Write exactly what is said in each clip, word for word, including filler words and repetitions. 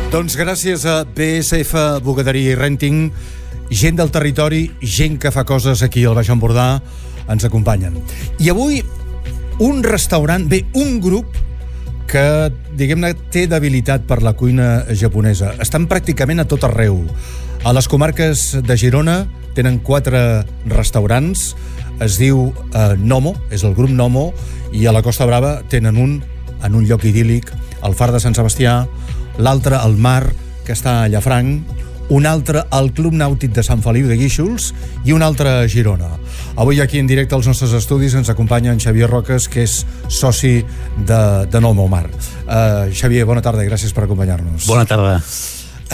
Doncs gràcies a B S F Bugaderia i Renting, gent del territori, gent que fa coses aquí al Baix Empordà, ens acompanyen. I avui un restaurant, bé, un grup que, diguem-ne, té debilitat per la cuina japonesa. Estan pràcticament a tot arreu. A les comarques de Girona tenen quatre restaurants, es diu eh, Nomo, és el grup Nomo, i a la Costa Brava tenen un en un lloc idíl·lic, al Far de Sant Sebastià, l'altre al Mar, que està a Llafranc, un altre al Club Nàutic de Sant Feliu de Guíxols i un altre a Girona. Avui aquí en directe als nostres estudis ens acompanya en Xavier Roques, que és soci de, de Nomo Mar. Uh, Xavier, bona tarda i gràcies per acompanyar-nos. Bona tarda.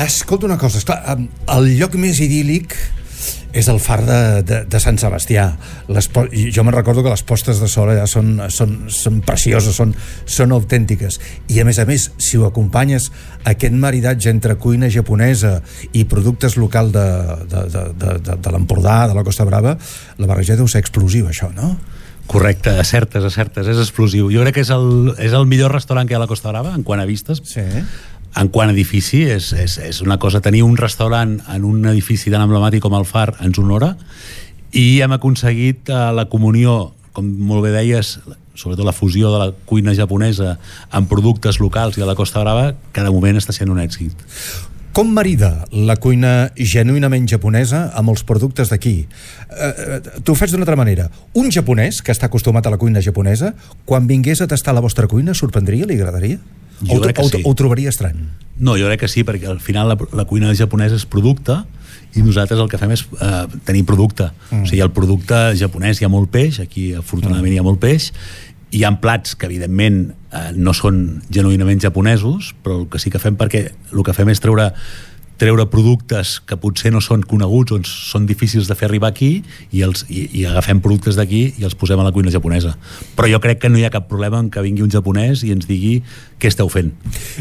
Escolta una cosa, esclar, el lloc més idíl·lic és el Far de, de, de Sant Sebastià. Les, jo me'n recordo que les postes de sol allà són, són, són precioses, són, són autèntiques. I a més a més, si ho acompanyes, aquest maridatge entre cuina japonesa i productes local de, de, de, de, de, de l'Empordà, de la Costa Brava, la barreja deu ser explosiva, això, no? Correcte, acertes, acertes, és explosiu. Jo crec que és el, és el millor restaurant que hi ha a la Costa Brava, en quant a vistes. Sí. En quant a edifici, és, és, és una cosa. Tenir un restaurant en un edifici tan emblemàtic com el Far ens honora, i hem aconseguit uh, la comunió, com molt bé deies, sobretot la fusió de la cuina japonesa amb productes locals i de la Costa Brava, que de moment està sent un èxit. Com marida la cuina genuïnament japonesa amb els productes d'aquí? Uh, T'ho faig d'una altra manera. Un japonès que està acostumat a la cuina japonesa, quan vingués a tastar la vostra cuina, sorprendria, li agradaria? Jo o, crec que o, sí. o ho trobaria estrany? No, jo crec que sí, perquè al final la, la cuina japonesa és producte i nosaltres el que fem és eh, tenir producte. Mm. O sigui, el producte japonès hi ha molt peix, aquí afortunadament mm. hi ha molt peix, hi ha plats que evidentment eh, no són genuïnament japonesos, però el que sí que fem, perquè el que fem és treure treure productes que potser no són coneguts o són difícils de fer arribar aquí, i, els, i, i agafem productes d'aquí i els posem a la cuina japonesa. Però jo crec que no hi ha cap problema en que vingui un japonès i ens digui què esteu fent.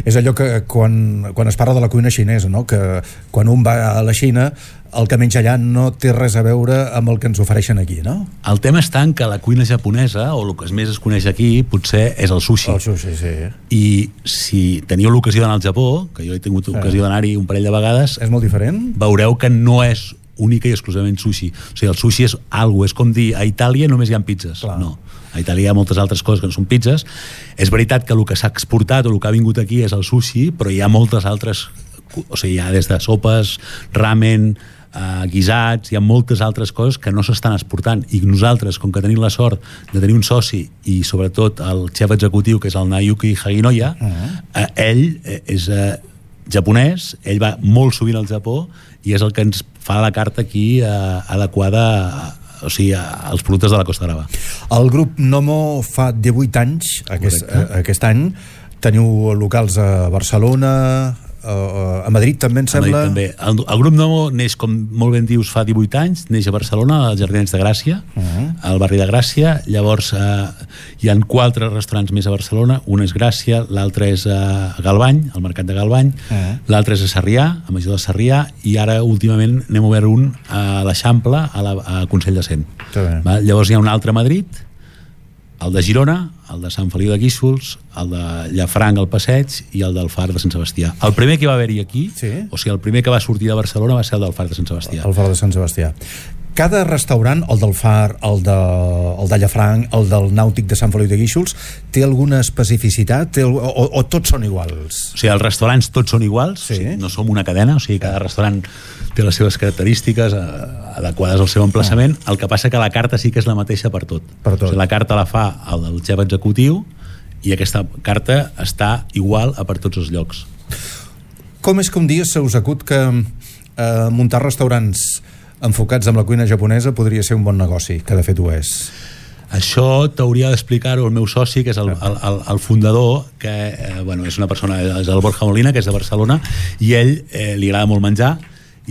És allò que quan, quan es parla de la cuina xinesa, no? Que quan un va a la Xina, el que menja allà no té res a veure amb el que ens ofereixen aquí, no? El tema està en que la cuina japonesa, o el que més es coneix aquí, potser és el sushi. El sushi, sí. I si teniu l'ocasió d'anar al Japó, que jo he tingut sí. ocasió d'anar-hi un parell de vegades, és molt diferent? Veureu que no és única i exclusivament sushi. O sigui, el sushi és algo, és com dir, a Itàlia només hi ha pizzas. Clar. No. A Itàlia hi ha moltes altres coses que no són pizzas. És veritat que el que s'ha exportat o el que ha vingut aquí és el sushi, però hi ha moltes altres, o sigui, hi ha des de sopes, ramen, Uh, guisats, hi ha moltes altres coses que no s'estan exportant, i nosaltres, com que tenim la sort de tenir un soci i sobretot el xef executiu, que és el Nayuki Haginoya, uh-huh. uh, ell és uh, japonès, ell va molt sovint al Japó i és el que ens fa la carta aquí uh, adequada a, o sigui, als productes de la Costa Brava. El grup Nomo fa divuit anys aquest, uh, aquest any. Teniu locals a Barcelona, Uh, a Madrid també, em sembla? A Madrid també. El, el grup Nomo neix, com molt ben dius, fa divuit anys, neix a Barcelona, als Jardins de Gràcia, uh-huh. al barri de Gràcia. Llavors uh, hi ha quatre restaurants més a Barcelona, un és Gràcia, l'altre és a Galvany, al mercat de Galvany, uh-huh. l'altre és a Sarrià, a Major de Sarrià, i ara últimament n'hem obert un a l'Eixample, a, la, a Consell de Cent. Va? Llavors hi ha un altre a Madrid, el de Girona, el de Sant Feliu de Guíxols, el de Llafranc al Passeig i el del Far de Sant Sebastià. El primer que va haver-hi aquí, sí. o sigui, el primer que va sortir de Barcelona va ser el del Far de Sant Sebastià. El Far de Sant Sebastià. Cada restaurant, el del Far, el de, el de Llafranc, el del Nàutic de Sant Feliu de Guíxols, té alguna especificitat? Té, o, o tots són iguals? O sigui, els restaurants tots són iguals, sí. o sigui, no som una cadena, o sigui, cada restaurant té les seves característiques eh, adequades al seu emplaçament. El que passa que la carta sí que és la mateixa per tot. Per tot. O sigui, la carta la fa el del xef executiu i aquesta carta està igual a per tots els llocs. Com és que un dia se us acut que eh, muntar restaurants enfocats en la cuina japonesa podria ser un bon negoci, que de fet ho és? Això t'hauria d'explicar-ho el meu soci, que és el, el, el, el fundador, que eh, bueno, és una persona, és el Borja Molina, que és de Barcelona, i ell eh, li agrada molt menjar,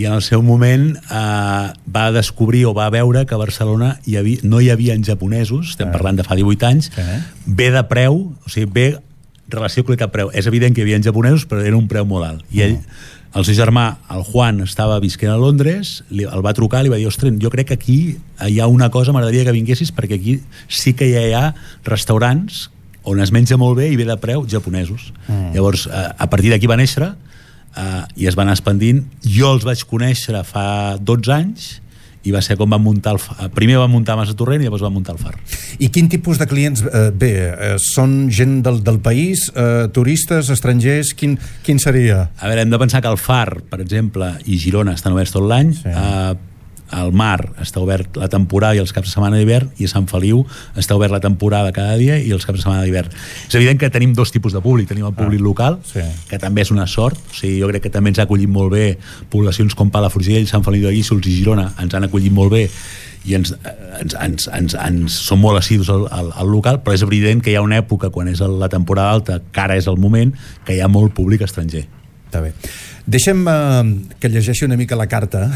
i en el seu moment eh, va descobrir o va veure que a Barcelona hi havia, no hi havia japonesos, estem parlant de fa divuit anys, bé de preu, o sigui, bé relació qualitat-preu. És evident que hi havia japonesos, però era un preu molt alt. I ell, el seu germà, el Juan, estava visquent a Londres, li, el va trucar, li va dir, ostres, jo crec que aquí hi ha una cosa, m'agradaria que vinguessis, perquè aquí sí que ja hi ha restaurants on es menja molt bé i bé de preu japonesos. Mm. Llavors, a, a partir d'aquí va néixer uh, i es van anar expandint. Jo els vaig conèixer fa dotze anys i va ser com van muntar el far. Primer van muntar Mas de Torrent i llavors van muntar el far. I quin tipus de clients eh, bé? Eh, són gent del, del país, eh, turistes, estrangers? Quin, quin seria? A veure, hem de pensar que el far, per exemple, i Girona estan oberts tot l'any. Sí. Eh, el Mar està obert la temporada i els caps de setmana d'hivern, i a Sant Feliu està obert la temporada cada dia i els caps de setmana d'hivern. És evident que tenim dos tipus de públic. Tenim el públic ah, local, sí. que també és una sort. O sigui, jo crec que també ens ha acollit molt bé poblacions com Palafrugell, Sant Feliu de Guíxols i Girona, ens han acollit molt bé i ens, ens, ens, ens, ens són molt assidus al, al, al local, però és evident que hi ha una època, quan és la temporada alta, que ara és el moment, que hi ha molt públic estranger. Està bé. Deixa'm uh, que llegeixi una mica la carta,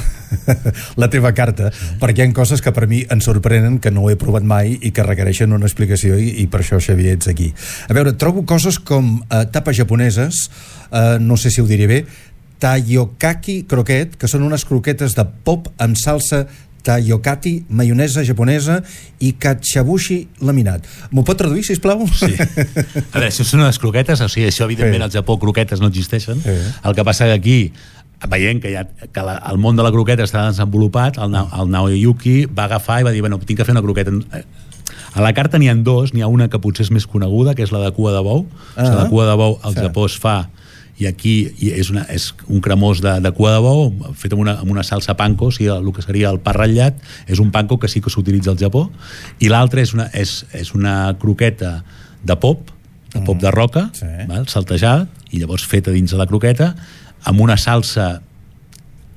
la teva carta, sí. perquè hi ha coses que per mi em sorprenen, que no ho he provat mai i que requereixen una explicació, i, i per això, Xavier, ets aquí. A veure, trobo coses com uh, tapes japoneses, uh, no sé si ho diré bé, Tayokaki croquet, que són unes croquetes de pop amb salsa Tayokati, maionesa japonesa i katsuobushi laminat. M'ho pot traduir, sisplau? Sí. A veure, això són unes croquetes, o sigui, això evidentment sí. al Japó croquetes no existeixen. Sí. El que passa que aquí, veient que, ja, que la, el món de la croqueta està desenvolupat, el, el Naoyuki va agafar i va dir, bueno, tinc que fer una croqueta. A la carta n'hi ha dos, n'hi ha una que potser és més coneguda, que és la de cua de bou. Ah, o sigui, la cua de bou al sí. Japó es fa, i aquí és, una, és un cremós de, de cua de bou fet amb una, amb una salsa panko, o sigui, el que seria el pa ratllat és un panko que sí que s'utilitza al Japó, i l'altre és, una, és, és una croqueta de pop, de pop de roca, sí. val, saltejada, i llavors feta dins de la croqueta amb una salsa,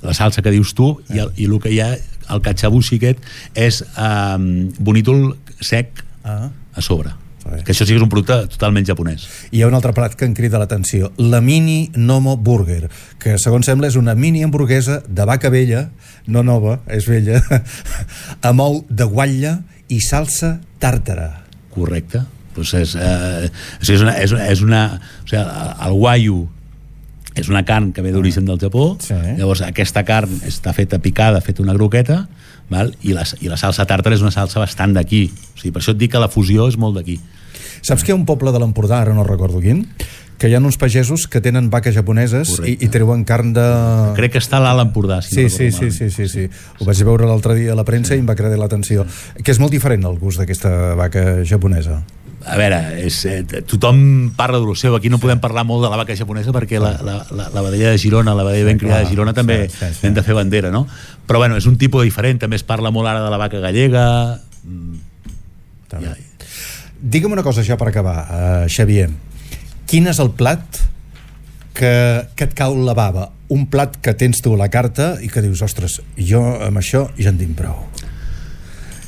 la salsa que dius tu, sí. i, el, i el que hi ha, el katsuobushi aquest és um, bonítol sec ah. a sobre. Que això sí que és un producte totalment japonès. I hi ha un altre plat que em crida l'atenció, la mini Nomo Burger, que segons sembla és una mini hamburguesa de vaca vella, no nova, és vella, amb ou de guatlla i salsa tàrtara. Correcte. Pues és, eh, o sigui, és una, és, és una o sigui, el wagyu és una carn que ve d'origen del Japó, sí. llavors aquesta carn està feta picada, feta una croqueta, val? I, la, i la salsa tàrtara és una salsa bastant d'aquí, o sigui, per això et dic que la fusió és molt d'aquí. Saps que hi ha un poble de l'Empordà, ara no recordo quin, que hi ha uns pagesos que tenen vaques japoneses i, i treuen carn de... Crec que està a l'Alt Empordà. Si sí, no sí, sí, sí, sí, sí. Ho vaig veure l'altre dia a la premsa sí. i em va cridar l'atenció. Que és molt diferent el gust d'aquesta vaca japonesa. A veure, és, eh, tothom parla de lo seu. Aquí no podem parlar molt de la vaca japonesa perquè la, la, la, la vedella de Girona, la vedella ben criada de Girona també sí, sí, sí. hem de fer bandera, no? Però bueno, és un tipus diferent. També es parla molt ara de la vaca gallega. Ja. Digue'm una cosa ja per acabar, uh, Xavier. Quin és el plat que, que et cau la bava? Un plat que tens tu a la carta i que dius, ostres, jo amb això ja en tinc prou.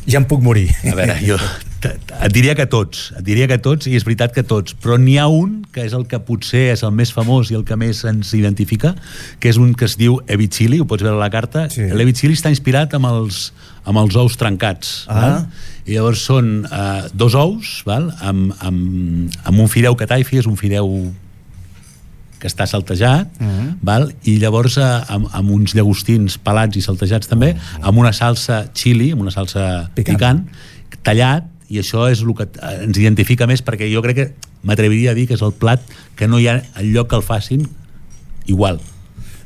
Ja em puc morir. A veure, jo et diria que tots, et diria que tots, i és veritat que tots, però n'hi ha un que és el que potser és el més famós i el que més ens identifica, que és un que es diu ebi chili, ho pots veure a la carta. Sí. L'ebi chili està inspirat amb els, amb els ous trencats. Ah. Val? I llavors són uh, dos ous, val? Amb, amb, amb un fideu cataifi, és un fideu que està saltejat, uh-huh. val? I llavors eh, amb, amb uns llagostins pelats i saltejats també, uh-huh. amb una salsa chili, amb una salsa picant, picant tallat, i això és el que ens identifica més, perquè jo crec que m'atreviria a dir que és el plat que no hi ha enlloc que el facin igual.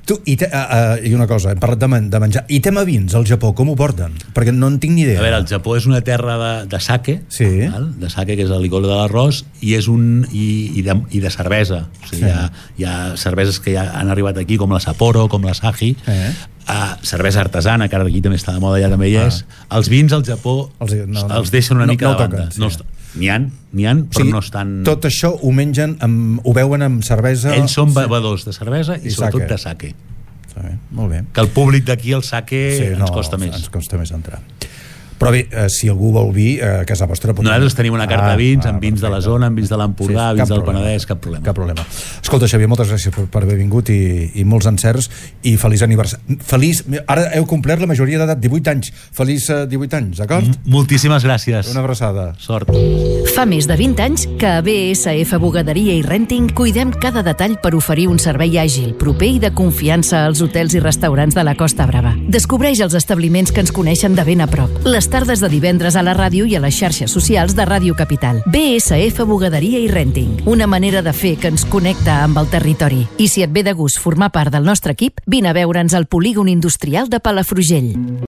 Tu, i, te, uh, uh, i una cosa, hem parlat de, man, de menjar, i tema vins al Japó, com ho porten? Perquè no en tinc ni idea. A veure, el Japó és una terra de, de sake, sí. val? De sake, que és el licor de l'arròs, i és un i, i, de, i de cervesa. O sigui, sí. hi, ha, hi ha cerveses que ja han arribat aquí, com la Sapporo, com la Sahi, eh. uh, cervesa artesana, que ara aquí també està de moda, allà també hi és. Ah. Els vins al Japó els, no, no, els deixen una no, mica no de banda. Toquen, sí. No està, N'hi ha, n'hi ha, però o sigui, no estan... Tot això ho mengen, amb, ho beuen amb cervesa... Ells són bevedors de cervesa i, I sobretot de sake. Bé, molt bé. Que el públic d'aquí el sake sí, ens no, costa més. Ens costa més entrar. Però bé, eh, si algú vol vi, eh, a casa vostra... Pot... Nosaltres tenim una carta ah, de vins, ah, amb vins perfecte. De la zona, amb vins de l'Empordà, sí, vins del problema. Penedès, cap problema. Cap problema. Escolta, Xavier, moltes gràcies per, per haver vingut i, i molts encerts i feliç aniversari. Feliç... Ara heu complert la majoria d'edat, divuit anys. Feliç eh, divuit anys, d'acord? M Moltíssimes gràcies. Una abraçada. Sort. Fa més de vint anys que a B S F Bugaderia i Renting cuidem cada detall per oferir un servei àgil, proper i de confiança als hotels i restaurants de la Costa Brava. Descobreix els establiments que ens coneixen de ben a prop. L'estat tardes de divendres a la ràdio i a les xarxes socials de Ràdio Capital. B S F Bugaderia i Renting, una manera de fer que ens connecta amb el territori. I si et ve de gust formar part del nostre equip, vine a veure'ns al polígon industrial de Palafrugell.